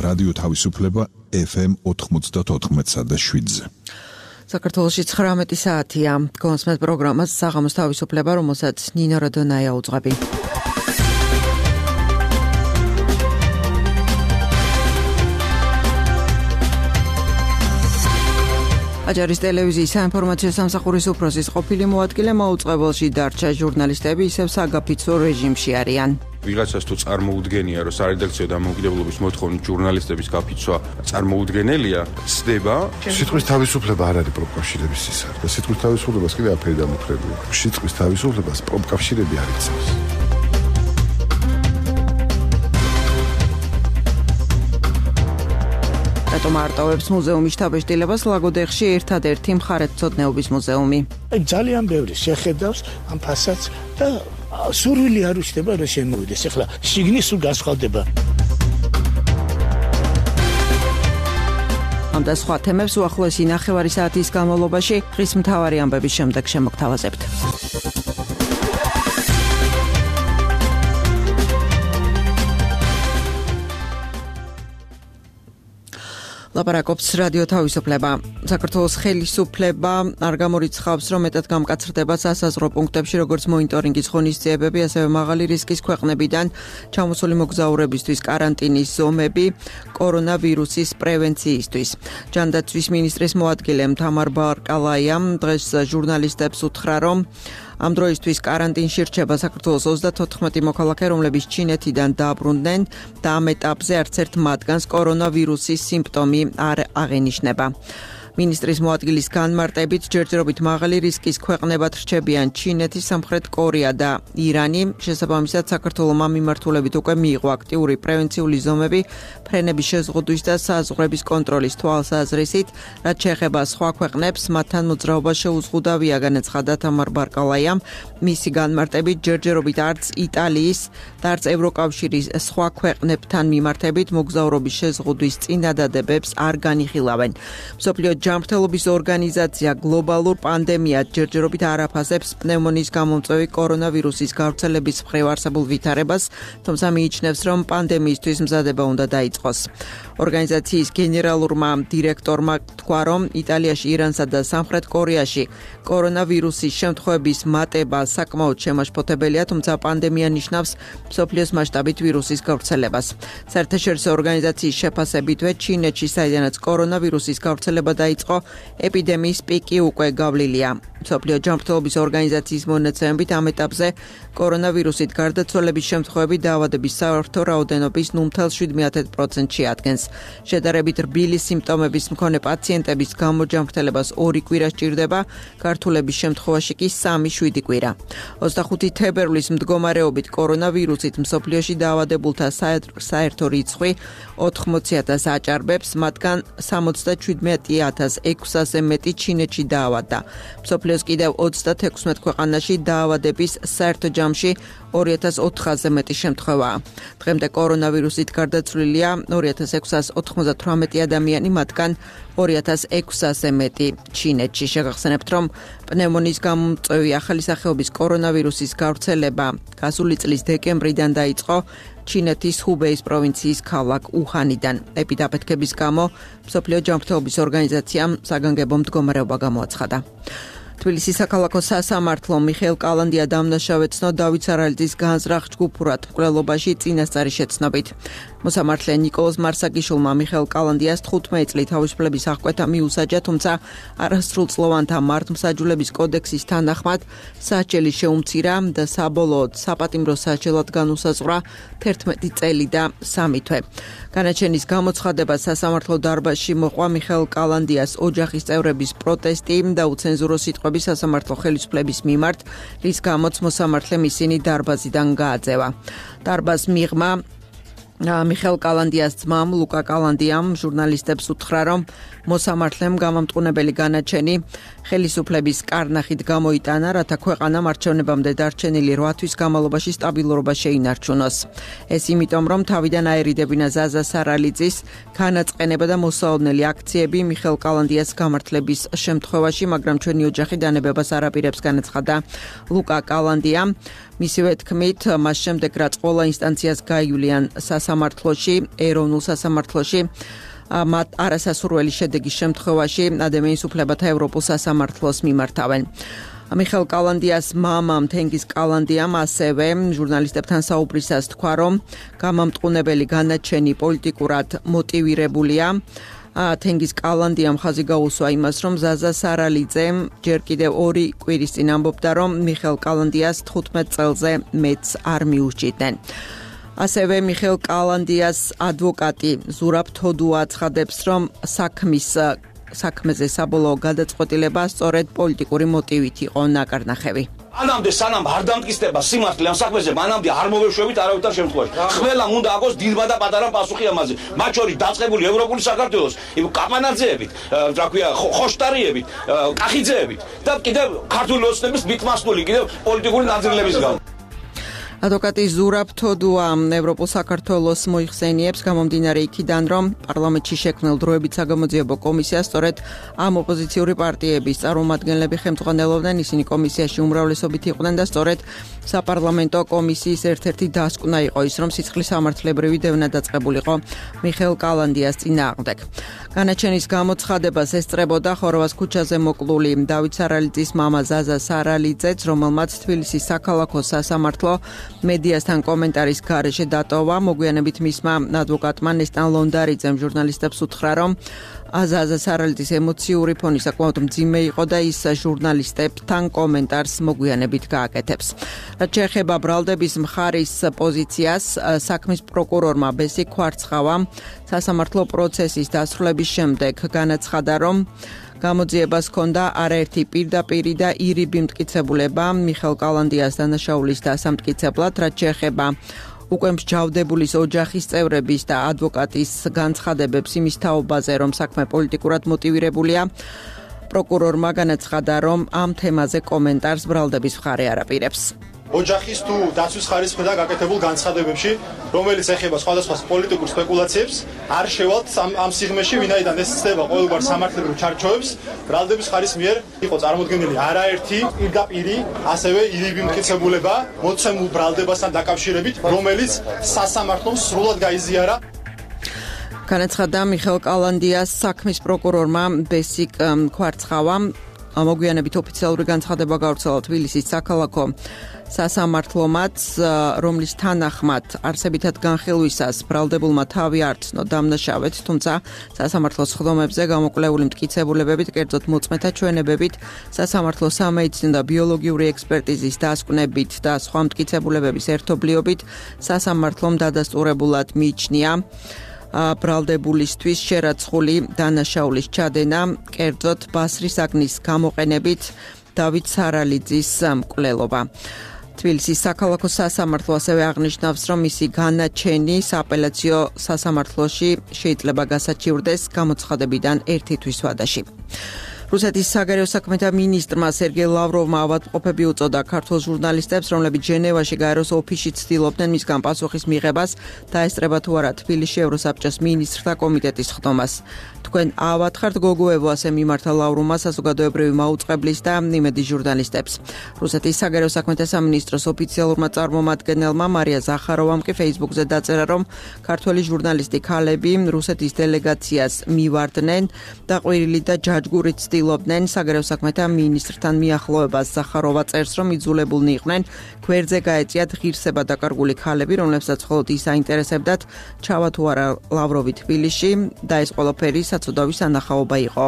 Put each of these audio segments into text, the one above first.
რადიო თავისუფლება FM 94.7-ზე. საქართველოში 19 საათია. გონსმეთ პროგრამას საღამოს თავისუფლება, რომელსაც ნინო როდონაია უძღვები. აჯარის ტელევიზიის საინფორმაციო სამსახურის უფროსის ყოფილი მოადგილე მოუწყებელში დარჩა ჟურნალისტები ისევ საგაფიცო რეჟიმში არიან. ვიღაცას თუ წარმოუდგენია, რომ სარედაქციო დამოუკიდებლობის მოთხოვნით ჟურნალისტების გაფიცვა წარმოუდგენელია, ცდება. სიტყვის თავისუფლება არ არის პროფკავშირების სისხლი და სიტყვის თავისუფლებას კიდე აფერი დამოკრებია. სიტყვის თავისუფლებას პროფკავშირები არ იცავს. რატომ არტოვებს მუზეუმის შთაბეჭდილებას ლაგოდეხში ერთადერთი მხარეთმცოდნეობის მუზეუმი? ძალიან ბევრი შეხედავს ამ ფასადს და სურვილი არ უჩნდება რომ შემოვიდეს. ეხლა შიგნის სულ განსხვავდება. ამ და სხვა თემებს უახლოესი ნახევარი საათის განმავლობაში დღის მთავარი ამბების შემდეგ შემოგთავაზებთ. ლაპარაკობს რადიო თავისუფლება. საქართველოს ხელისუფლება არ გამორიცხავს, რომ მეტად გამკაცრდება სასაზღვრო პუნქტებში, როგორც მონიტორინგის ღონისძიებები, ასევე მაღალი რისკის ქვეყნებიდან ჩამოსული მოგზაურებისთვის კარანტინის ზომები კორონავირუსის პრევენციისთვის. ჯანდაცვის მინისტრის მოადგილე თამარ ბარკალაიამ დღეს ჟურნალისტებს უთხრა, რომ ამ დროისთვის კარანტინში რჩება საქართველოს 34 მოქალაქე, რომლებიც ჩინეთიდან დაბრუნდნენ და ამ ეტაპზე არც ერთ მათგანს კორონავირუსის სიმპტომი არ აღენიშნება. მინისტრის მოადგილის განმარტებით ჯერჯერობით მაღალი რისკის ქვეყნებად რჩებიან ჩინეთი, სამხრეთ კორეა და ირანი. შესაბამისად, საქართველოს მიმართულებით უკვე მიიღო აქტიური პრევენციული ზომები ფრენების შეზღუდვის და საზღვრების კონტროლის თვალსაზრისით, რაც შეეხება სხვა ქვეყნებს, მათთან მოძრაობა შეუზღუდავია, განაცხადა თამარ ბარკალაიამ. მისი განმარტებით ჯერჯერობით არც იტალიის და არც ევროკავშირის სხვა ქვეყნებთან მიმართებით მოგზაურობის შეზღუდვის წინადადებებს არ განიხილავენ. მსოფლიო ჯანმრთელობის ორგანიზაცია გლობალურ პანდემიად ჯერჯერობით არ აფასებს პნევმონიის გამომწვევი კორონავირუსის გავრცელების მხრივ არსებულ ვითარებას, თუმცა მიიჩნევს, რომ პანდემიისთვის მზადება უნდა დაიწყოს. ორგანიზაციის გენერალურმა დირექტორმა თქვა, რომ იტალიაში, ირანსა და სამხრეთ კორეაში კორონავირუსის შემთხვევების მატება საკმაოდ შემაშფოთებელია, თუმცა პანდემია ნიშნავს მსოფლიოს მასშტაბით ვირუსის გავრცელებას. საერთაშორისო ორგანიზაციის შეფასებითვე ჩინეთში, საიდანაც კორონავირუსის გავრცელება დაიწყო, ეპიდემიის პიკი უკვე გავლილია. მსოფლიო ჯანმრთელობის ორგანიზაციის მონაცემებით ამ ეტაპზე კორონავირუსით გარდაცვალების შემთხვევები დაავადების საერთო რაოდენობის 0.7%-ში ადგენს. შედარებით რბილი სიმპტომების მქონე პაციენტების გამოჯანმრთელებას 2 კვირა სჭირდება, გართულების შემთხვევაში კი 3-7 კვირა. 25 თებერვლის მდგომარეობით კორონავირუსით მსოფლიოში დაავადებულთა საერთო რიცხვი 80,000 აჭარბებს, მათგან 77,600-ზე მეტი ჩინეთში დაავადდა. მსოფლიოს კიდევ 36 ქვეყანაში დაავადების საერთო ჯამში 2,400-ზე მეტი შემთხვევაა. დღემდე კორონავირუსით გარდაცვლილია 2,698 ადამიანი, მათგან 2,600-ზე მეტი ჩინეთში. შეგახსენებთ, რომ პნევმონიის გამომწვევი ახალი სახეობის კორონავირუსის გავრცელება გასული წლის დეკემბრიდან დაიწყო ჩინეთის ჰუბეის პროვინციის ქალაქ უჰანიდან. ეპიდაფეთქების გამო მსოფლიო ჯანმრთელობის ორგანიზაციამ საგანგებო მდგომარეობა გამოაცხადა. თბილისის საქალაქო სასამართლომ მიხეილ კალანდია დამნაშავედ ცნო დავით სარალიძის განზრახ ჯგუფურად მკვლელობაში წინასწარი შეცნობით. მოსამართლე ნიკოლოზ მარსაგიშვილმა მიხეილ კალანდიას 15 წლით თავისუფლების აღკვეთა მიუსაჯა, თუმცა არასრულწლოვანთა მართლმსაჯულების კოდექსის თანახმად სასჯელი შეუმცირა და საბოლოოდ საპატიმრო სასჯელად განუსაზღვრა 11 წელი და 3 თვე. განაჩენის გამოცხადება სასამართლო დარბაზში მოყვა მიხეილ კალანდიას ოჯახის წევრების პროტესტი და უცენზურო სიტყვები სასამართლო ხელისუფლების მიმართ, რის გამოც მოსამართლემ ისინი დარბაზიდან გააძევა. დარბაზ მიღმა მიხეილ კალანდიას ძმამ ლუკა კალანდიამ ჟურნალისტებს უთხრა, რომ მოსამართლემ გამამტყუნებელი განაჩენი ხელისუფლების კარნახით გამოიტანა, რათა ქვეყანამ არჩევნებამდე დარჩენილი 8 თვის განმავლობაში სტაბილურობა შეინარჩუნოს. ეს იმიტომ, რომ თავიდან აერიდებინა ზაზა სარალიძის განაწყენება და მოსაოდნელი აქციები მიხეილ კალანდიას გამართლების შემთხვევაში, მაგრამ ჩვენი ოჯახი დანებებას არ აპირებს, განაცხადა ლუკა კალანდიამ. მისივე თქმით, მას შემდეგ რაც ყველა ინსტანციას გაივლიან სასამართლოში, ეროვნულ სასამართლოში მათ არასასურველი შედეგის შემთხვევაში ადამიანის უფლებათა ევროპულ სასამართლოს მიმართავენ. მიხეილ კალანდიას მამამ თენგიზ კალანდიამ ასევე ჟურნალისტებთან საუბრისას თქვა, რომ გამამტყუნებელი განაჩენი პოლიტიკურად მოტივირებულია. თენგიზ კალანდიამ ხაზი გაუსვა იმას, რომ ზაზა სარალიძემ ჯერ კიდევ 2 კვირის წინ ამბობდა, რომ მიხეილ კალანდიას 15 წელზე მეც არ მიუსჭიდნენ. ასევე მიხეილ კალანდიას ადვოკატი ზურაბ თოდუა აცხადებს, რომ საქმეზე საბოლოო გადაწყვეტილება სწორედ პოლიტიკური მოტივით იყო ნაკარნახევი. ანამდე სანამ არ დამტკიცდება სიმართლე ამ საქმეზე, მანამდე არ მოვეშვებით არავითარ შემთხვევაში. ყველა უნდა აგოს დიდმა და პატარა პასუხი ამაზე. მათ შორის დაწყებული ევროპული საქართველოს კაპანაძეებით, რა ქვია, ხოშტარიებით, კახიძეებით და კიდევ ქართული ოცნების მითმასტული კიდევ პოლიტიკური ნაძრლების გამო. ადვოკატი ზურაბ თოდუა ევროპულ საქართველოს მოიხსენიებს გამომდინარე იქიდან, რომ პარლამენტში შექმნილ დროებით საგამოძიებო კომისიას სწორედ ამ ოპოზიციური პარტიების წარმომადგენლები ხელმძღვანელობდნენ, ისინი კომისიაში უმრავლესობით იყვნენ და სწორედ საპარლამენტო კომისიის ერთ-ერთი დასკვნა იყო ის, რომ სიცხლის სამართლებრივი დევნა დაწყებულიყო მიხეილ კალანდიას წინააღმდეგ. განაჩენის გამოცხადებას ესწრებოდა ხოროვას ქუჩაზე მოკლული დავით სარალიძის მამა ზაზა სარალიძეც, რომელმაც თბილისის საქალაქო სასამართლო მედიასთან კომენტარის გარეშე დატოვა. მოგვიანებით მისმა ადვოკატმა ნესტან ლონდარიძემ ჟურნალისტებს უთხრა, რომ ზაზა სარალიძის ემოციური ფონი საკმაოდ მძიმე იყო და ის ჟურნალისტებთან კომენტარს მოგვიანებით გააკეთებს. რაც შეეხება ბრალდების მხარის პოზიციას, საქმის პროკურორმა ბესი ქვარცხავა სასამართლო პროცესის დასრულების შემდეგ განაცხადა, რომ გამოძიებას ჰქონდა არაერთი პირდაპირი და ირიბი მტკიცებულება მიხეილ კალანდიას დანაშაულის დასამტკიცებლად, რაც შეეხება უკვე მსჯავრდებულის ოჯახის წევრების და ადვოკატის განცხადებებს იმის თაობაზე, რომ საქმე პოლიტიკურად მოტივირებულია. პროკურორმა განაცხადა, რომ ამ თემაზე კომენტარს ბრალდების მხარე არ აპირებს. ოჯახის თუ დაცვის ხარის მხრიდან გაკეთებულ განცხადებებში, რომელიც ეხება სხვადასხვა პოლიტიკურ სპეკულაციებს, არ შევალთ ამ სიღრმეში, ვინაიდან ეს ცდება ყოველგვარ სამართლებრივ ჩარჩოებს, ბრალდების ხარის მიერ იყო წარმოდგენილი არაერთი პირდაპირი, ასევე ირიბი მტკიცებულება მოცემულ ბრალდებასთან დაკავშირებით, რომელიც სასამართლომ სრულად გაიზიარა. განაცხადა მიხეილ კალანდიას საქმის პროკურორმა ბესი ქვარცხავამ. მოგვიანებით ოფიციალური განცხადება გავრცელა თბილისის საქალაქო სასამართლომაც, რომლის თანახმად არსებითად განხილვისას ბრალდებულმა თავი არ ცნო დამნაშავედ, თუმცა სასამართლოს ხდომებზე გამოკვლეული მტკიცებულებებით, კერძოდ მოწმეთა ჩვენებებით, სასამართლოს სამედიცინო და ბიოლოგიური ექსპერტიზის დასკვნებით და სხვა მტკიცებულებების ერთობლიობით სასამართლომ დადასტურებულად მიიჩნია ბრალდებულისთვის შერაცხული დანაშაულის ჩადენა, კერძოდ ბასრის აგნის გამოყენებით დავით სარალიძის მკვლელობა. თბილისის საქალაქო სასამართლო ასევე აღნიშნავს, რომ მისი განაჩენი სააპელაციო სასამართლოში შეიძლება გასაჩივრდეს გამოცხადებიდან 1 თვის ვადაში. რუსეთის საგარეო საქმეთა მინისტრმა სერგეი ლავროვმა ავადმყოფები უწოდა ქართულ ჟურნალისტებს, რომლებიც ჟენევაში გაეროს ოფისში ცდილობდნენ მისგან პასუხის მიღებას და ესწრება თუ არა თბილისში ევროსაბჭოს მინისტრთა კომიტეტის ხდომას. თქვენ ავათხართ გოგოევო, ასე მიმართა ლავროვმა საზოგადოებრივი მაუწყებლის და იმედი ჟურნალისტებს. რუსეთის საგარეო საქმეთა სამინისტროს ოფიციალურმა წარმომადგენელმა მარია ზახაროვამ კი Facebook-ზე დაწერა, რომ ქართველი ჟურნალისტი ქალები რუსეთის დელეგაციას მივარდნენ და ყვირილი და ჯაჯგურით ცდილობდნენ საგარეო საქმეთა მინისტრთან მიახლოებას. ზახაროვა წერს, რომ იძულებულნი იყვნენ გვერდზე გაეწიათ ღირსება დაკარგული ქალები, რომლებსაც მხოლოდ ის აინტერესებდათ ჩავა თუ არა ლავროვი თბილისში და ეს ყველაფერი საცოდავი სანახაობა იყო.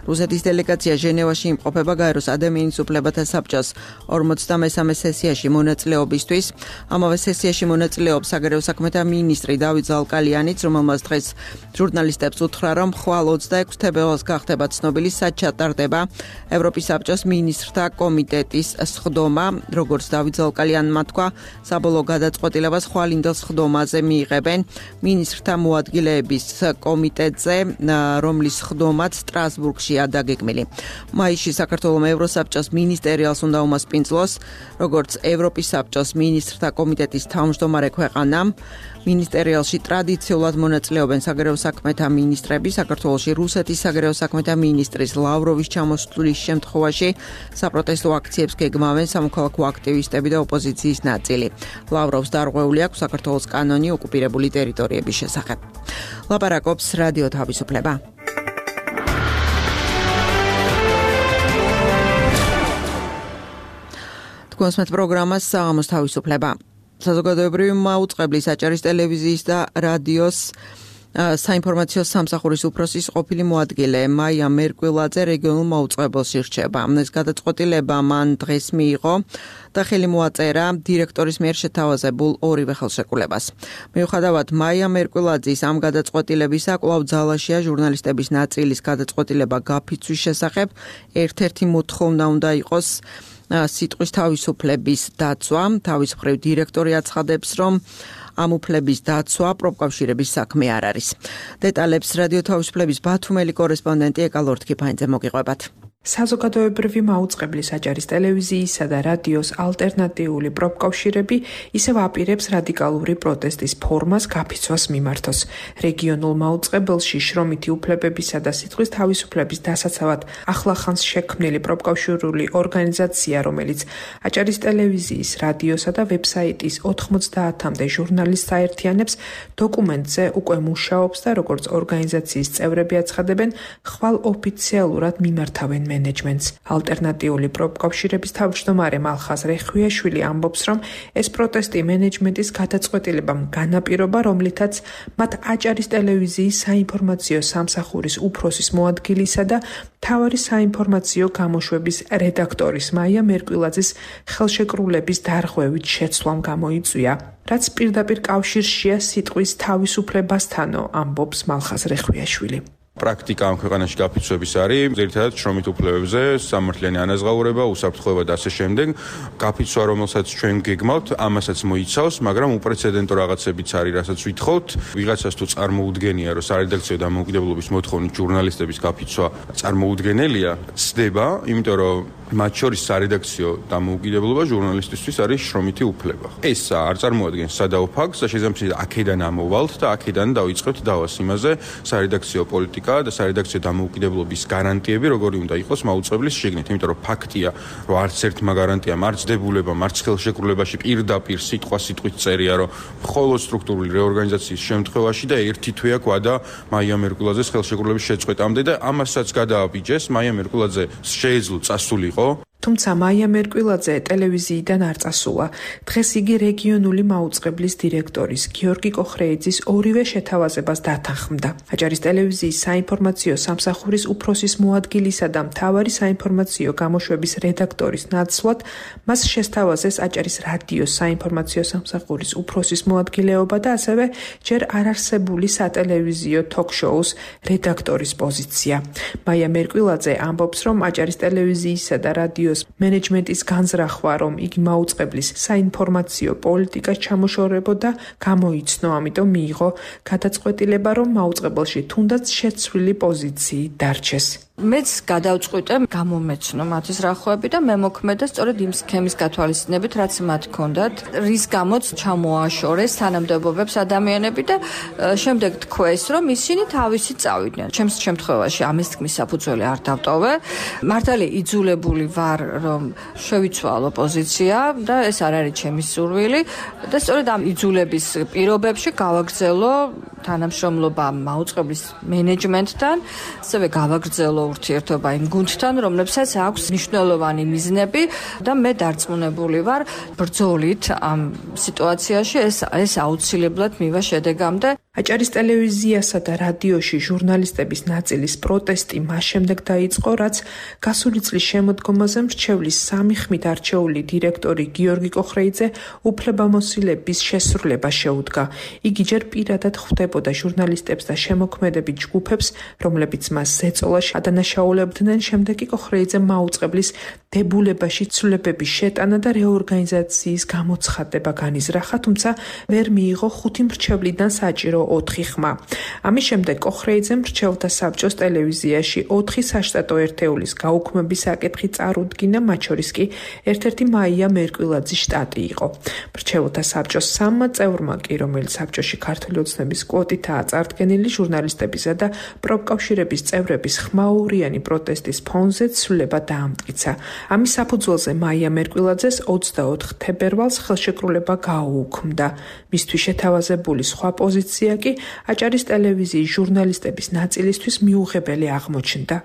რუსეთის დელეგაცია ჟენევაში იმყოფება გაეროს ადამიანის უფლებათა საბჭოს 43-მე სესიაში მონაწილეობისთვის. ამავე სესიაში მონაწილეობს საგარეო საქმეთა მინისტრი დავით ზალკალიანიც, რომელმაც დღეს ჟურნალისტებს უთხრა, რომ ხვალ 26 თებერვალს გახდება ცნობილი ჩატარდება ევროპის საბჭოს მინისტრთა კომიტეტის სხდომა, როგორც დავით ზალკალიანმა თქვა, საბოლოო გადაწყვეტილებას ხვალინდელ სხდომაზე მიიღებენ მინისტრთა მოადგილეების კომიტეტზე, რომლის სხდომაც სტრასბურგშია დაგეგმილი. მაისში საქართველოს ევროსაბჭოს მინისტერიალს უნდა უმასპინძლოს, როგორც ევროპის საბჭოს მინისტრთა კომიტეტის თავმჯდომარე ქვეყანამ. მინისტერიალში ტრადიციულად მონაწილეობენ საგარეო საქმეთა მინისტრები, საქართველოში რუსეთის საგარეო საქმეთა მინისტრის ლავრ ლავროვის ჩამოსვლის შემთხვევაში საპროტესტო აქციებს გეგმავენ სამოქალაქო აქტივისტები და ოპოზიციის ნაწილი. ლავროვს დარღვეული აქვს საქართველოს კანონი ოკუპირებული ტერიტორიების შესახებ. ლაპარაკობს რადიო თავისუფლება. თქვენს პროგრამას საღამოს თავისუფლება. საზოგადოებრივი მაუწყებლის აჭარის ტელევიზიის და რადიოს საინფორმაციო სამსახურის უფროსის ყოფილი მოადგილე მაია მერკვილაძე რეგიონულ მაუწყებელს ირჩება. ეს გადაწყვეტილება მან დღეს მიიღო და ხელი მოაწერა დირექტორის მიერ შეთავაზებულ ორივე ხელშეკრულებას. მიუხედავად მაია მერკვილაძის ამ გადაწყვეტილებისა, კვლავ ძალაშია ჟურნალისტების ნაწილის გადაწყვეტილება გაფიცვის შესახებ. ერთ-ერთი მოთხოვნა უნდა იყოს სიტყვის თავისუფლების დაცვა. თავის მხრივ დირექტორი აცხადებს, რომ ამ უფლების დაცვა პროფკავშირების საქმე არ არის. დეტალებს რადიო თავისუფლების ბათუმელი კორესპონდენტი ეკალორთქიფაინძე მოგიყვებათ. საზოგადოებრივი მაუწყებლის აჭარის ტელევიზიისა და რადიოს ალტერნატიული პროფკავშირები ისევ აპირებს რადიკალური პროტესტის ფორმას გაფიცვას მიმართოს. რეგიონულ მაუწყებელში შრომითი უფლებებისა და სიტყვის თავისუფლების დასაცავად ახლახანს შექმნილი პროფკავშირული ორგანიზაცია, რომელიც აჭარის ტელევიზიის, რადიოსა და ვებსაიტის 90-მდე ჟურნალისტს აერთიანებს, დოკუმენტზე უკვე მუშაობს და როგორც ორგანიზაციის წევრები აცხადებენ, ხვალ ოფიციალურად მიმართავენ მენეჯმენტს. ალტერნატიული პროფკავშირების თავმჯდომარე მალხაზ რეხვიაშვილი ამბობს, რომ ეს პროტესტი მენეჯმენტის გადაწყვეტილებამ განაპირობა, რომლითაც მათ აჭარის ტელევიზიის საინფორმაციო სამსახურის უფროსის მოადგილისა და მთავარი საინფორმაციო გამოშვების რედაქტორის მაია მერკვილაძის ხელშეკრულების დარღვევით შეცვლამ გამოიწვია, რაც პირდაპირ კავშირშია სიტყვის თავისუფლებასთანო, ამბობს მალხაზ რეხვიაშვილი. პრაქტიკა ამ ქვეყანაში გაფიცვების არის ძირითადად შრომით უფლებებზე, სამართლიანი ანაზღაურება, უსაფრთხოება და ასე შემდეგ. გაფიცვა, რომელსაც ჩვენ გეგმავთ, ამასაც მოიცავს, მაგრამ უპრეცედენტო რაღაცებიც არის, რასაც ვითხოვთ. ვიღაცას თუ წარმოუდგენია, რომ სარედაქციო დამოუკიდებლობის მოთხოვნით ჟურნალისტების გაფიცვა წარმოუდგენელია, ცდება, იმიტომ რომ მათ შორის სარედაქციო დამოუკიდებლობა ჟურნალისტისთვის არის შრომითი უფლება. ეს არ წარმოადგენს სადაო ფაქტს და შესაძლოა აქედან ამოვალთ და აქედან დავიწყებთ დავას იმაზე სარედაქციო პოლიტიკა და სარედაქციო დამოუკიდებლობის გარანტიები როგორი უნდა იყოს მაუწყებლის შიგნით, იმიტომ რომ ფაქტია, რომ არც ერთმა გარანტიამ, არც დებულებამ, არც ხელშეკრულებაში პირდაპირ სიტყვით წერია, რომ მხოლოდ სტრუქტურული რეორგანიზაციის შემთხვევაში და ერთი თვე აქვდა მაია მერკვილაძეს ხელშეკრულების შეწყვეტამდე და ამასაც გადააბიჯეს, მაია მერკვილაძე შეეძლო წასულიყო. თუმცა მაია მერკვილაძე ტელევიზიიდან არ წასულა. დღეს იგი რეგიონული მაუწყებლის დირექტორის გიორგი კოხრეიძის ორივე შეთავაზებას დათანხმდა. აჭარის ტელევიზიის საინფორმაციო სამსახურის უფროსის მოადგილისა და მთავარი საინფორმაციო გამოშვების რედაქტორის ნაცვლად მას შესთავაზეს აჭარის რადიოს საინფორმაციო სამსახურის უფროსის მოადგილეობა და ასევე ჯერ არარსებული სატელევიზიო თოქ-შოუს რედაქტორის პოზიცია. მაია მერკვილაძე ამბობს, რომ აჭარის ტელევიზიისა და რადიოს მენეჯმენტის განზრახვა, რომ იგი მაუწყებლის საინფორმაციო პოლიტიკას ჩამოშორებოდა, გამოიცნო, ამიტომ მიიღო გადაწყვეტილება, რომ მაუწყებელში თუნდაც შეცვლილი პოზიციით დარჩეს. მეც გადავწყვიტე გამომეცნო მათი ზრახვები და მე მოქმედა სწორედ იმ სქემის გათვალისწინებით, რაც მათ ჰქონდათ, რის გამოც ჩამოაშორეს თანამდებობებს ადამიანები და შემდეგ თქვეს, რომ ისინი თავისი წავიდნენ. ჩემს შემთხვევაში ამის თქმის საფუძველი არ დავტოვე. მართალი იძულებული ვარ, რომ შევიცვალო პოზიცია და ეს არ არის ჩემი სურვილი და სწორედ ამ იძულების პირობებში გავაგრძელო თანამშრომლობა მაუწყებლის მენეჯმენტთან, ასევე გავაგრძელო ურთიერთობა იმ გუნდთან, რომლებსაც აქვს მნიშვნელოვანი მიზნები და მე დარწმუნებული ვარ, ბრძოლით ამ სიტუაციაში ეს აუცილებლად მივა შედეგამდე. აჭარის ტელევიზიასა და რადიოში ჟურნალისტების ნაწილის პროტესტი მას შემდეგ დაიწყო, რაც გასული წლის შემოდგომაზე მრჩევლის სამი ხმით არჩეული დირექტორი გიორგი კოხრეიძე უფლებამოსილების შესრულება შეუდგა. იგი ჯერ პირადად ხვდებოდა ჟურნალისტებს და შემოქმედებით ჯგუფებს, რომლებიც მას ზეწოლაში ადანაშაულებდნენ. შემდეგ კი კოხრეიძემ მაუწყებლის დებულებაში ცვლილებების შეტანა და რეორგანიზაციის გამოცხადება განიზრახა, თუმცა ვერ მიიღო 5 მრჩევლიდან საჭირო საჯარო 4 ხმა. ამის შემდეგ კოხრეიძემ მრჩეველთა საბჭოს ტელევიზიაში 4 საშტატო ერთეულის გაუქმების საკითხი წარუდგინა, მათ შორის კი ერთ-ერთი მაია მერკვილაძის შტატი იყო. მრჩეველთა საბჭოს 3 წევრმა კი, რომელიც საბჭოში ქართული ოცნების კვოტითაა წარდგენილი, ჟურნალისტებისა და პროფკავშირების წევრების ხმაურიანი პროტესტის ფონზე ცვლილება დაამტკიცა. ამის საფუძველზე მაია მერკვილაძეს 24 თებერვალს ხელშეკრულება გაუუქმდა. მისთვის შეთავაზებული სხვა პოზიცია კი აჭარის ტელევიზიის ჟურნალისტების ნაწილისთვის მიუღებელი აღმოჩნდა.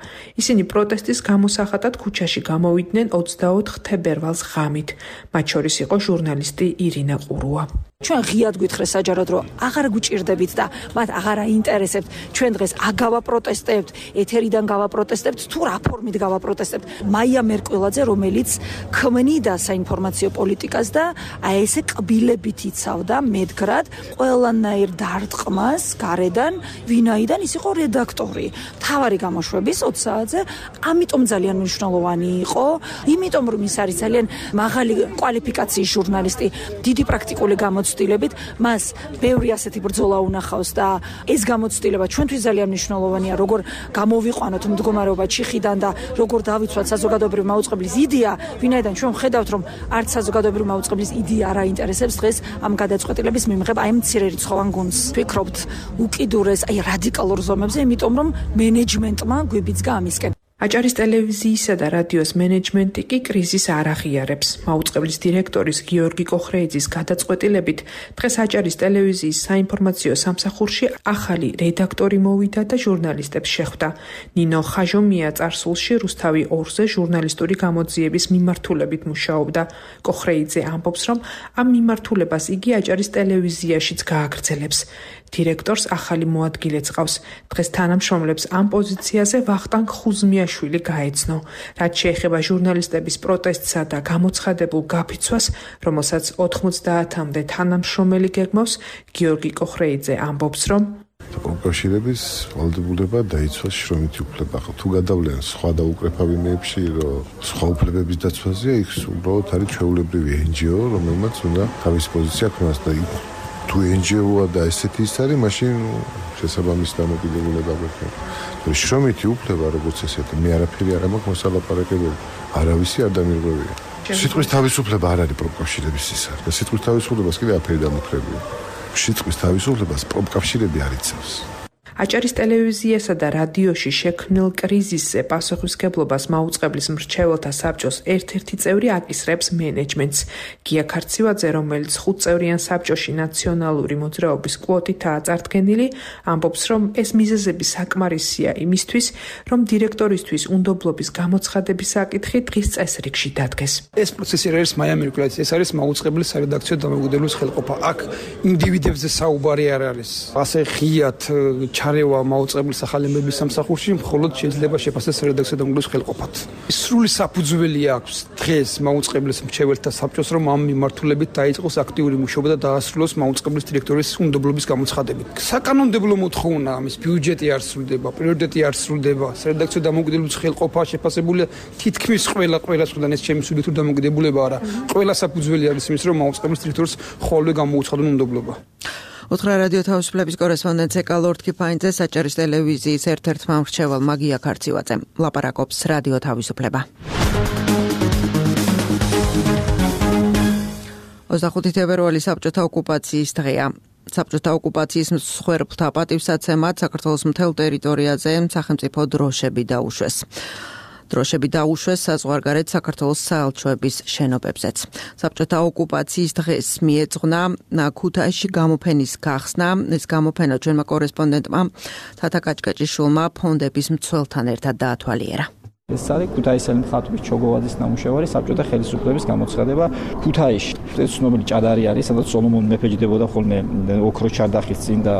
ისინი პროტესტის გამოსახატად ქუჩაში გამოვიდნენ 24 თებერვალს ღამით. მათ შორის იყო ჟურნალისტი ირინა ყურუა. ჩვენ ღიად გვითხრეს საჯაროდ, რომ აღარ გვიჭირდებით და მათ აღარ აინტერესებთ. ჩვენ დღეს აგავაპროტესტებთ, ეთერიდან გავაპროტესტებთ, თუ რა ფორმით გავაპროტესტებთ. მაია მერკვილაძე, რომელიც ქმნიდა საინფორმაციო პოლიტიკას და აი ესე კბილებით იცავდა მედგრად ყველანაირ დარტყმას გარედან, ვინაიდან ის იყო რედაქტორი. მთავარი გამოშვების 20 საათზე, ამიტომ ძალიან მნიშვნელოვანი იყო, იმიტომ რომ ის არის ძალიან მაღალი კვალიფიკაციის ჟურნალისტი, დიდი პრაქტიკული გამოცდილებით, მას ბევრი ასეთი ბრძოლა უნახავს და ეს გამოცდილება ჩვენთვის ძალიან მნიშვნელოვანია, როგორ გამოვიყვანოთ მდგომარეობა ჩიხიდან და როგორ დავიცვათ საზოგადოებრივი მაუწყებლის იდეა, ვინაიდან ჩვენ ვხედავთ, რომ არც საზოგადოებრივი მაუწყებლის იდეა არ აინტერესებს დღეს ამ გადაწყვეტილების მიმღებ აი მცირე რიცხოვან გუნდს. ვფიქრობთ უკიდურეს, აი რადიკალურ ზომებზე, იმიტომ რომ მენეჯმენტმა გვიბიძგა ამისკენ. აჭარის ტელევიზიისა და რადიოს მენეჯმენტი კი კრიზისს არ აღიარებს. მაუწყებლის დირექტორის გიორგი კოხრეიძის გადაწყვეტილებით დღეს აჭარის ტელევიზიის საინფორმაციო სამსახურში ახალი რედაქტორი მოვიდა და ჟურნალისტებს შეხვდა. ნინო ხაჟომია წარსულში რუსთავი 2-ზე ჟურნალისტური გამოძიების მიმართულებით მუშაობდა. კოხრეიძე ამბობს, რომ ამ მიმართულებას იგი აჭარის ტელევიზიაშიც გააგრძელებს. დირექტორს ახალი მოადგილეც ყავს. დღეს თანამშრომლებს ამ პოზიციაზე ვახტანგ ხუზმიაშვილი გაეცნო. რაც შეეხება ჟურნალისტების პროტესტსა და გამოცხადებულ გაფიცვას, რომელსაც 90-მდე თანამშრომელი გეგმავს, გიორგი კოხრეიძე ამბობს, რომ პროფკავშირების ვალდებულება დაიცვას შრომითი უფლება. თუ გადავლენ სხვა დაუკრეფავინეებში, რომ სხვა უფლებების დაცვაზეა, იქ უბრალოდ არის ჩვეულებრივი NGO, რომელმაც უნდა თავისი პოზიცია ქონოს და თუ NGO-ა და ესეთი ის არის, მაშინ შესაბამის დამოკიდებულება გვექნება. შრომითი უფლება, როგორც ესეთი, მე არაფერი არ მაქვს მოსალაპარაკებელი. არავისი არ დამირღვევია. სიტყვის თავისუფლება არ არის პროფკავშირების ის არის. და სიტყვის თავისუფლებას კიდე აფერი დამოკრებია. სიტყვის თავისუფლებას პროფკავშირები არ იცავს. აჭარის ტელევიზიასა და რადიოში შექმნილ კრიზისზე პასუხისმგებლობას მაუწყებლის მრჩეველთა საბჭოს ერთ-ერთი წევრი აკისრებს მენეჯმენტს. გია ქარცივაძე, რომელიც 5 წევრიან საბჭოში ნაციონალური მოძრაობის კვოტითაა წარდგენილი, ამბობს, რომ ეს მიზეზები საკმარისია იმისთვის, რომ დირექტორისთვის უნდობლობის გამოცხადების საკითხი დღის წესრიგში დადგეს. ეს პროცესი არის მაია მერკვილაძის, ეს არის მაუწყებლის სარედაქციო დამოუკიდებლობის ხელყოფა. აქ ინდივიდებზე საუბარი არ არის. ასე ღიად ჩარევა მაუწყებლის ახალების სამსახურში მხოლოდ შეიძლება შეფასდეს რედაქციო დამოუკიდებლობის ხელყოფად. სრული საფუძველი აქვს დღეს მაუწყებლის მრჩეველთა საბჭოს, რომ ამ მიმართულებით დაიწყოს აქტიური მუშაობა და დაასრულოს მაუწყებლის დირექტორის უნდობლობის გამოცხადებით. საკანონმდებლო მოთხოვნა ამის ბიუჯეტი არ სრულდება, პრიორიტეტი არ სრულდება, რედაქციო დამოუკიდებლობის ხელყოფა შეფასებულია თითქმის ყველას ხდან ეს ჩემი სუბიექტური დამოკიდებულება არა. ყველა საფუძველი არის იმის, რომ მაუწყებლის დირექტორს ხოლმე გამოუცხადონ უნდობლობა. უთხრა რადიო თავისუფლების კორესპონდენტ ეკალორდ კიფაინძე აჭარის ტელევიზიის ერთ-ერთმა მრჩეველმა გია ქარცივაძემ ლაპარაკობს რადიო თავისუფლება. 25 თებერვალი საბჭოთა ოკუპაციის დღეა. საბჭოთა ოკუპაციის მსხვერპლთა პატივსაცემად საქართველოს მთელ ტერიტორიაზე სახელმწიფო დროშები დაუშვეს. დროშები დაუშვეს საზღვარგარეთ საქართველოს საელჩოების შენობებზეც. საბჭოთა ოკუპაციის დღეს მიეძღვნა ქუთაისში გამოფენის გახსნა. ეს გამოფენა ჩვენმა კორესპონდენტმა თათა კაჭკაჭიშვილმა ფონდების მცველთან ერთად დაათვალიერა. ეს არის ქუთაისელი მხატვრის ჩოგოვაძის ნამუშევარი საბჭოთა ხელისუფლების გამოცხადება ქუთაისში. ეს ცნობილი ჭადარი არის, სადაც სოლომონ მეფე ჯდებოდა ხოლმე ოქროს ჩარდახის წინ და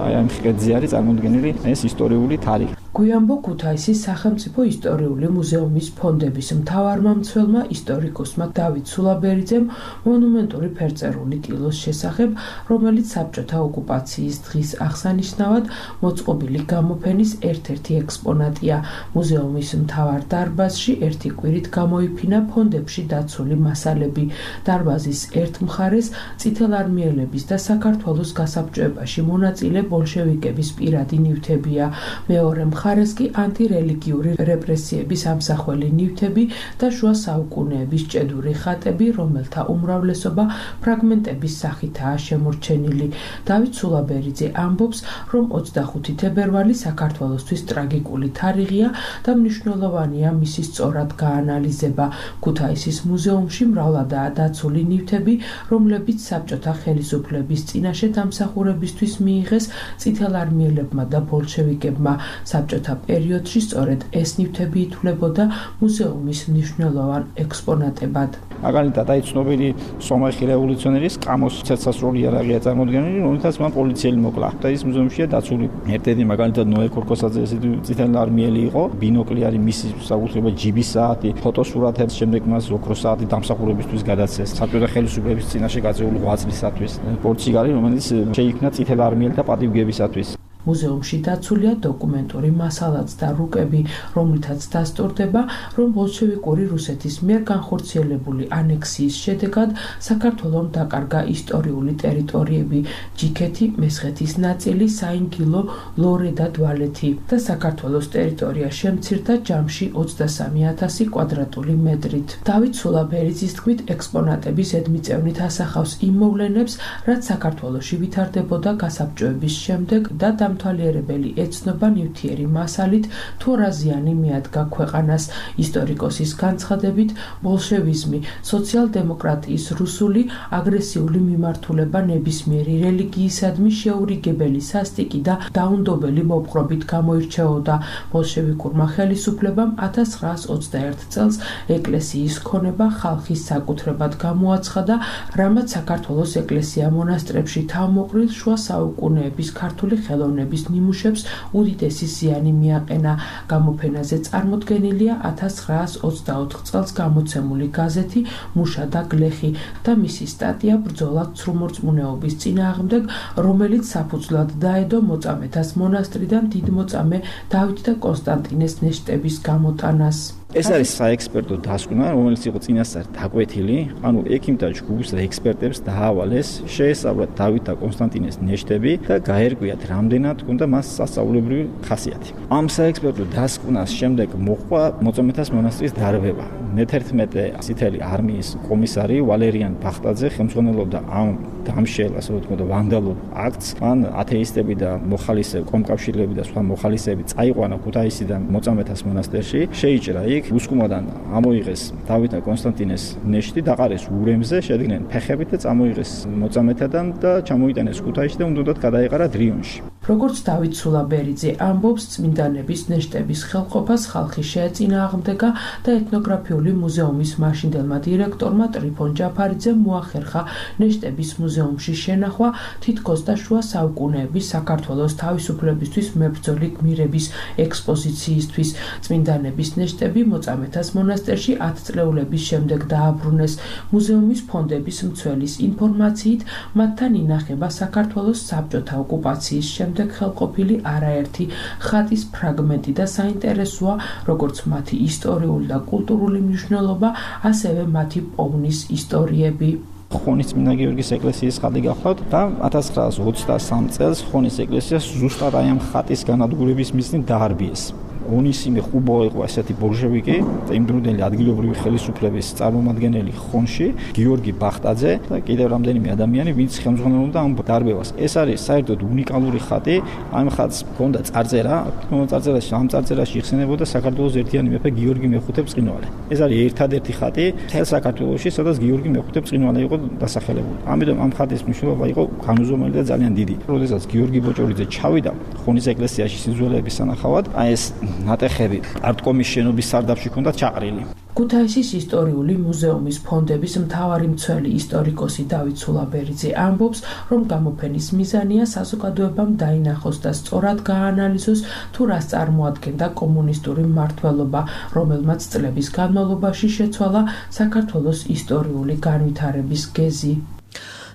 აი ამ ხეზე არის წარმოდგენილი ეს ისტორიული თარიღი. გვიანბო ქუთაისის სახელმწიფო ისტორიული მუზეუმის ფონდების მთავარმა მცველმა ისტორიკოსმა დავით სულაბერიძემ მონუმენტური ფერწერული ტილოს შესახებ, რომელიც საბჭოთა ოკუპაციის დღის აღსანიშნავად მოწყობილი გამოფენის ერთ-ერთი ექსპონატია. მუზეუმის მთავარ დარბაზში ერთი კვირით გამოიფინა ფონდებში დაცული მასალები. დარბაზის ერთ მხარეს წითელარმიელების და საქართველოს გასაბჭოებაში მონაწილე ბოლშევიკების პირადი ნივთებია, მეორე მხარეს კი ანტირელიგიური რეპრესიების ამსახველი ნივთები და შუა საუკუნეების ჭედური ხატები, რომელთა უმრავლესობა ფრაგმენტების სახითაა შემორჩენილი. დავით სულაბერიძე ამბობს, რომ 25 თებერვალი საქართველოსთვის ტრაგიკული თარიღია და მნიშვნელოვანია მისი სწორად გაანალიზება. ქუთაისის მუზეუმში მრავლადაა დაცული ნივთები, რომლებიც საბჭოთა ხელისუფლების წინაშე დამსახურებისთვის მიიღეს წითელარმიელებმა და ბოლშევიკებმა. საბჭოთა პერიოდში სწორედ ეს ნივთები ითვლებოდა მუზეუმის მნიშვნელოვან ექსპონატებად. მაგალითად, ცნობილი სომეხი რევოლუციონერის კამოს ცეცხლსროლი იარაღია წარმოდგენილი, რომელთაც მან პოლიციელი მოკლა. და ის მუზეუმშია დაცული. ერთ-ერთი მაგალითად ნოე ქორქოსაძე წითელარმიელი იყო, ბინოკლი არის მისი საკუთრება, ჯიბის საათი, ფოტოსურათებს, შემდეგ მას ოქროს საათი დამსახურებისთვის გადაცეს. საბჭოთა ხელისუფლების წინაშე გაწეული ღვაწლისათვის. პორტსიგალი, რომელიც შეიქმნა წითელარმიელთა პატივგებისათვის. მუზეუმში დაცულია დოკუმენტური მასალაც და რუკები, რომლითაც დასტურდება, რომ ბოლშევიკური რუსეთის მიერ განხორციელებული ანექსიის შედეგად საქართველომ დაკარგა ისტორიული ტერიტორიები, ჯიქეთი, მესხეთის ნაწილი, საინგილო, ლორე და დვალეთი და საქართველოს ტერიტორია შემცირდა ჯამში 23,000 კვადრატული მეტრით. დავით სულაბერიძის თქმით, ექსპონატები ზედმიწევნით ასახავს იმ მოვლენებს, რაც საქართველოში ვითარდებოდა გასაბჭოების შემდეგ და თვალიერებელი ეცნობა ნივთიერი მასალით თუ რა ზიანი მიადგა ქვეყანას. ისტორიკოსის განცხადებით, ბოლშევიზმი, სოციალ-დემოკრატიის რუსული აგრესიული მიმართულება ნებისმიერი რელიგიისადმი შეურიგებელი სასტიკი და დაუნდობელი მოპყრობით გამოირჩეოდა. ბოლშევიკურმა ხელისუფლებამ 1921 წელს ეკლესიის ქონება ხალხის საკუთრებად გამოაცხადა, რამაც საქართველოს ეკლესია მონასტრებში თავმოყრილ შუა საუკუნეების ქართული ხელოვნების ნიმუშებს უდიდესი ზიანი მიაყენა. გამოფენაზე წარმოდგენილია 1924 წელს გამოცემული გაზეთი მუშა და გლეხი და მისი სტატია ბრძოლა ცრუმორწმუნეობის წინააღმდეგ, რომელიც საფუძვლად დაედო მოწამეთას მონასტრიდან დიდმოწამე დავით და კონსტანტინეს ნეშტების გამოტანას. ეს არის საექსპერტო დასკვნა, რომელიც იყო წინასწარ დაკვეთილი, ანუ ექიმთა ჯგუფს და ექსპერტებს დაავალეს შეესწავლათ დავით და კონსტანტინეს ნეშტები და გაერკვიათ, რამდენად უნდა მას სასწauლებრივი ხასიათი. ამ საექსპერტო დასკვნას შემდეგ მოყვა მოწამეთას მონასტრის დარბევა. მე-11 წითელი არმიის კომისარი ვალერიან ბახტაძე ხელმძღვანელობდა ამ დამშელ, ასე ვთქვათ, ვანდალურ აქტს. მან ათეისტები და მოხალისე კომკავშირლები და სხვა მოხალისეები წაიყვანა ქუთაისიდან მოწამეთას მონასტერში, შეიჭრა იქ უსკუმოდან ამოიღეს დავით და კონსტანტინეს ნეშტი, დაყარეს ურემზე, შედგნენ ფეხებით და წამოიღეს მოწამეთიდან და ჩამოიტანეს ქუთაისში და უნდათ გადაეყარა დრიონში. როგორც დავით სულაბერიძე ამბობს, წმინდანების ნეშტების ხელყოფას ხალხი შეეწინააღმდეგა და ეთნოგრაფიული მუზეუმის მაშინდელმა დირექტორმა ტრიფონ ჯაფარიძემ მოახერხა ნეშტების მუზეუმში შენახვა თითქოს და შუა საუკუნეების საქართველოს თავისუფლებისთვის მებრძოლი გმირების ექსპოზიციისთვის. წმინდანების ნეშტები მოწამეთას მონასტერში 10 წლეულების შემდეგ დააბრუნეს. მუზეუმის ფონდების მცველის ინფორმაციით, მათთან ინახება საქართველოს საბჭოთა ოკუპაციის შემდეგ ხელყოფილი არაერთი ხატის ფრაგმენტი და საინტერესოა როგორც მათი ისტორიული და კულტურული მნიშვნელობა, ასევე მათი პოვნის ისტორიები. ხონის წმინდა გიორგის ეკლესიის ხატი გახლავთ და 1923 წელს ხონის ეკლესიას ზუსტად აი ამ ხატის განადგურების მიზნით დაარბიეს. ონისიმე ხუბო იყო ესეთი ბოლშევიკი, იმდროინდელი ადგილობრივი ხელისუფლების წარმომადგენელი ხონში, გიორგი ბახტაძე და კიდევ რამდენიმე ადამიანი, ვინც ხელმძღვანელობდა ამ დარბევას. ეს არის საერთოდ უნიკალური ხატი. ამ ხატს ჰქონდა წარწერა, ამ წარწერაში იხსენებოდა საქართველოს ერთიანი მეფე გიორგი მეხუთე ბრწყინვალე. ეს არის ერთადერთი ხატი მთელ საქართველოში, სადაც გიორგი მეხუთე ბრწყინვალე იყო დასახელებული. ამიტომ ამ ხატის მნიშვნელობა იყო განუზომელი და ძალიან დიდი. როდესაც გიორგი ბოჭორიძე ჩავიდა ხონის ეკლესიაში სიძველეების სანახავად, აი ეს ნატეხები არტკომის შენობის სარდაფში ჰქონდა ჩაყრილი. ქუთაისის ისტორიული მუზეუმის ფონდების მთავარი მცველი ისტორიკოსი დავით სულაბერიძე ამბობს, რომ გამოფენის მიზანია საზოგადოებამ დაინახოს და სწორად გაანალიზოს თუ რას წარმოადგენდა კომუნისტური მმართველობა, რომელმაც წლების განმავლობაში შეცვალა საქართველოს ისტორიული განვითარების გეზი.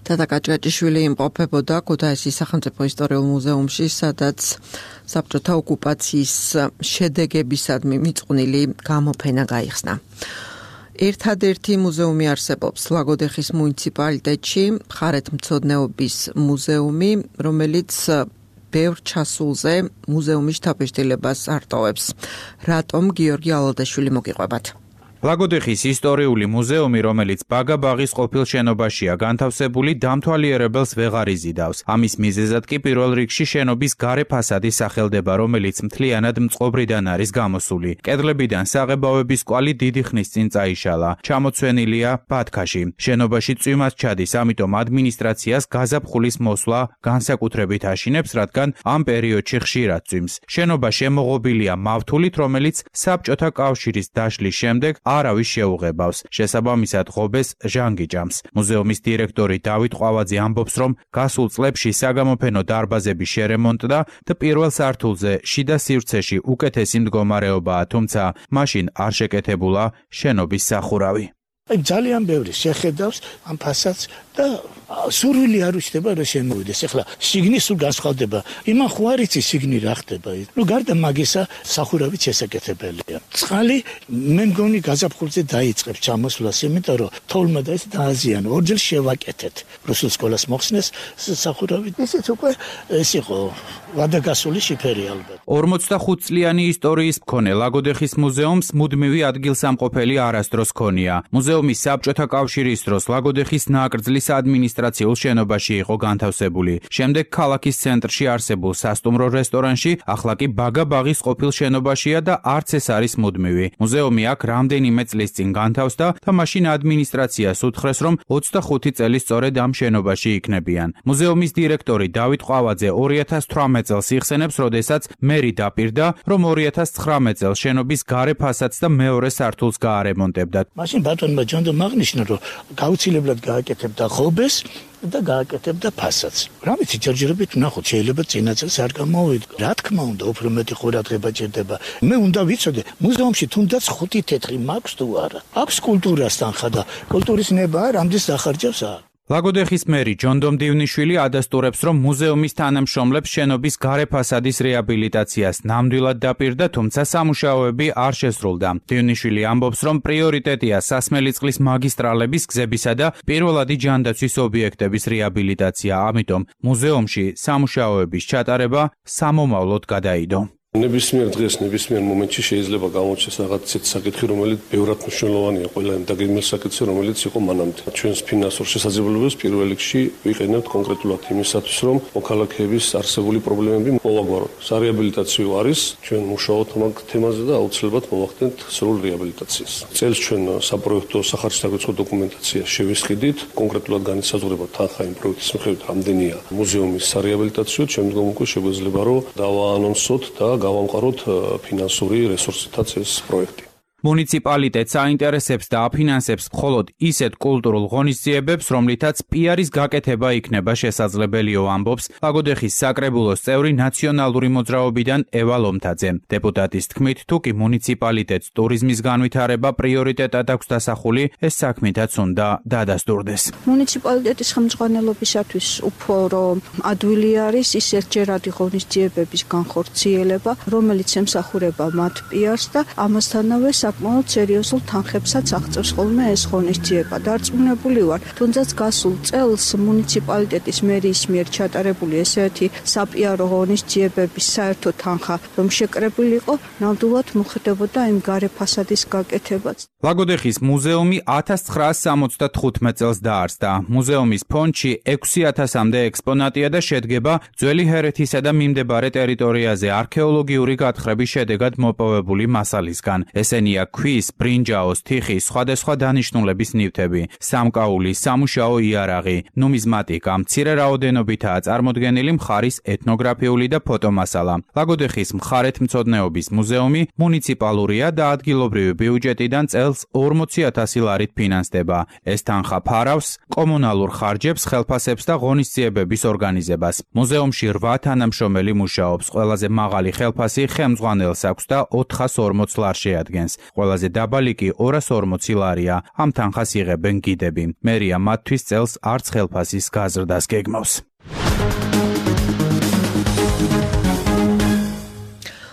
თათა კაჭკაჭიშვილი იმყოფებოდა ქუთაისის სახელმწიფო ისტორიულ მუზეუმში, სადაც საბჭოთა ოკუპაციის შედეგებისადმი მიწყვნილი გამოფენა გაიხსნა. ერთადერთი მუზეუმი არსებობს ლაგოდეხის მუნიციპალიტეტში, მხარეთმცოდნეობის მუზეუმი, რომელიც ბევრ ჩასულზე მუზეუმის შთაბეჭდილებას არტოვებს. რატომ გიორგი ალალდაშვილი მოგიყვებათ? ლაგოდეხის ისტორიული მუზეუმი, რომელიც ბაგაბაღის ყოფილ შენობაშია განთავსებული, დამთვალიერებელს ვეღარ იზიდავს. ამის მიზეზად კი პირველ რიგში შენობის გარე ფასადი სახელდება, რომელიც მთლიანად მწყობრიდან არის გამოსული. კედლებიდან საღებავების კვალი დიდი ხნის წინ წაიშალა. ჩამოცვენილია ბათქაში. შენობაში წვიმაც ჩადის, ამიტომ ადმინისტრაციას გაზაფხულის მოსვლა განსაკუთრებით აშინებს, რადგან ამ პერიოდში ხშირად წვიმს. შენობა შემოღობილია მავთულით, რომელიც საბჭოთა კავშირის დაშლის შემდეგ არავის შეუღებავს. შესაბამისად ღობეს ჟანგიჭამს. მუზეუმის დირექტორი დავით ყვავაძე ამბობს, რომ გასულ წლებში საგამოფენო დარბაზები შერემონტდა და პირველ სართულზე შიდა სივრცეში უკეთესი მდგომარეობაა, თუმცა მაშინ არ შეკეთებულა შენობის სახურავი. ძალიან ბევრი შეხედავს ამ ფასადს და სურვილი არ უჩნდება რომ შემოვიდეს. ეხლა შიგნი სულ განსხვავდება. იმან ხო არ იცი შიგნი რა ხდება. გარდა მაგისა სახურავით შესაკეთებელია. წყალი მე მგონი გაზაფხულზე დაიწყებს ჩამოსვლას, იმიტომ რომ თოვლმა და ეს დააზიანო. ორჯერ შევაკეთეთ. რუსულ სკოლას მოხსნეს სახურავით. ისიც უკვე ეს იყო ვადაგასული შიფერი ალბათ. 45 წლიანი ისტორიის მქონე ლაგოდეხის მუზეუმს მუდმივი ადგილსამყოფელი არასდროს ქონია. მუზეუმის საბჭოთა კავშირის დროს ლაგოდეხის ნაკრძლის ადმინისტრაციულ შენობაში იყო განთავსებული. შემდეგ ქალაქის ცენტრში არსებულ სასტუმრო რესტორანში, ახლა კი ბაგაბაღის ყოფილ შენობაშია და არც ეს არის მუდმივი. მუზეუმი აქ რამდენიმე წლის წინ განთავსდა და მაშინ ადმინისტრაციას უთხრეს, რომ 25 წელი სწორედ ამ შენობაში იქნებიან. მუზეუმის დირექტორი დავით ყვავაძე 2018 წელს იხსენებს, როდესაც მერი დაპირდა, რომ 2019 წელს შენობის გარე ფასადს და მეორე სართულს გაარემონტებდა. მაშინ ბატონმა ჯანდომ აღნიშნა, რომ გაუცილებლად გააკეთებდა ღობეს და გააკეთებდა ფასადს. რამითი ჯერჯერობით ნახოთ, შეიძლება წინა წელს არ გამოვიდგა. რა თქმა უნდა, უფრო მეტი ყურადღება ჭირდება. მე უნდა ვიცოდე, მუზეუმში თუნდაც 5 თეთრი მაქვს თუ არა. აქვს კულტურას თანხა და კულტურის ნება რამდენს ახარჯავს არა. ლაგოდეხის მერი ჯონდომ დივნიშვილი ადასტურებს, რომ მუზეუმის თანამშრომლებს შენობის გარე ფასადის რეაბილიტაციას ნამდვილად დაპირდა, თუმცა სამუშაოები არ შესრულდა. დივნიშვილი ამბობს, რომ პრიორიტეტია სასმელი წყლის მაგისტრალების გზებისა და პირველადი ჯანდაცვის ობიექტების რეაბილიტაცია, ამიტომ მუზეუმში სამუშაოების ჩატარება სამომავლოდ გადაიდო. ნებისმიერ დღეს, ნებისმიერ მომენტში შეიძლება გამოჩნდეს რაღაც ისეთი საკითხი, რომელიც ბევრად მნიშვნელოვანია ყველა იმ დაგეგმილ საკითხზე, რომელიც იყო მანამდე. ჩვენს ფინანსურ შესაძლებლობებს პირველ რიგში ვიყენებთ კონკრეტულად იმისათვის, რომ მოქალაქეების არსებული პრობლემები მოვაგვაროთ. სარეაბილიტაციო არის, ჩვენ მუშაობთ ამ თემაზე და აუცილებლად მოვახდენთ სრულ რეაბილიტაციას. წელს ჩვენ საპროექტო სახარჯსდაგროცხო დოკუმენტაცია შევისყიდით, კონკრეტულად განისაზღვრება თანხა იმ პროექტის მიხედვით, რამდენია მუზეუმის სარეაბილიტაციო, შემდგომ უკვე შეგვეძლება რომ დავაანონსოთ და გავამყაროთ ფინანსური რესურსითაც ეს პროექტი. მუნიციპალიტეტს აინტერესებს და აფინანსებს მხოლოდ ისეთ კულტურულ ღონისძიებებს, რომლითაც პიარის გაკეთება იქნება შესაძლებელიო, ამბობს ლაგოდეხის საკრებულოს წევრი ნაციონალური მოძრაობიდან ევა ლომთაძე. დეპუტატის თქმით, თუ კი მუნიციპალიტეტს ტურიზმის განვითარება პრიორიტეტად აქვს დასახული, ეს საქმითაც უნდა დადასტურდეს. მუნიციპალიტეტის ხელმძღვანელობისათვის უფრო ადვილი არის ის ერთჯერადი ღონისძიებების განხორციელება, რომელიც ემსახურება მათ პიარს და ამასთანავე საკმაოდ სერიოზულ თანხებსაც აღწევს ხოლმე ეს ღონისძიება. დარწმუნებული ვარ, თუნდაც გასულ წელს მუნიციპალიტეტის მერიის მიერ ჩატარებული ესეთი საპიარო ღონისძიებების საერთო თანხა, რომ შეკრებილიყო, ნამდვილად მოხდებოდა იმ გარე ფასადის გაკეთებაც. ლაგოდეხის მუზეუმი 1975 წელს დაარსდა. მუზეუმის ფონდში 6000-მდე ექსპონატია და შედგება ძველი ჰერეთისა და მიმდებარე ტერიტორიაზე არქეოლოგიური გათხრების შედეგად მოპოვებული მასალისგან. ესენია მიღებულია ქვის, ბრინჯაოს, თიხის, სხვადასხვა დანიშნულების ნივთები, სამკაული, სამუშაო იარაღი, ნუმიზმატიკა, მცირე რაოდენობითაა წარმოდგენილი მხარის ეთნოგრაფიული და ფოტომასალა. ლაგოდეხის მხარეთმცოდნეობის მუზეუმი მუნიციპალურია და ადგილობრივი ბიუჯეტიდან წელს 40,000 ლარით ფინანსდება. ეს თანხა ფარავს კომუნალურ ხარჯებს, ხელფასებს და ღონისძიებების ორგანიზებას. მუზეუმში 8 თანამშრომელი მუშაობს. ყველაზე მაღალი ხელფასი ხელმძღვანელს აქვს და 440 ლარს შეადგენს. ყველაზე დაბალი კი 240 ლარია. ამ თანხას იღებენ გიდები. მერია მათთვის წელს არც ხელფასის გაზრდას გეგმავს.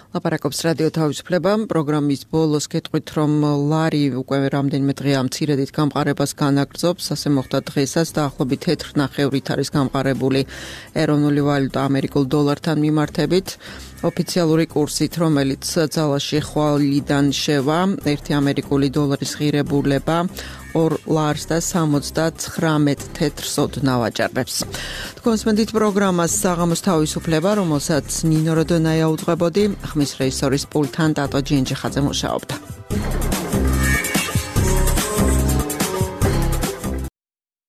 ლაპარაკობს რადიო თავისუფლება. პროგრამის ბოლოს გეტყვით, რომ ლარი უკვე რამდენიმე დღეა მცირედით გამყარებას განაგრძობს. ასე მოხდა დღესაც დაახლოებით 4.5-ით არის გამყარებული ეროვნული ვალუტა ამერიკულ დოლართან მიმართებით. ოფიციალური კურსით, რომელიც ძალაში ხვალიდან შევა, 1 ამერიკული დოლარის ღირებულება 2 ლარს და 79 თეთრ სოდნავ აჭარბებს. თქვენსმენდით პროგრამას საღამოს თავისუფლება, რომელსაც ნინო როდონაია უძღვებოდი, ხმის რეჟისორის პულტთან ტატო ჯინჯიხაძე მუშაობდა.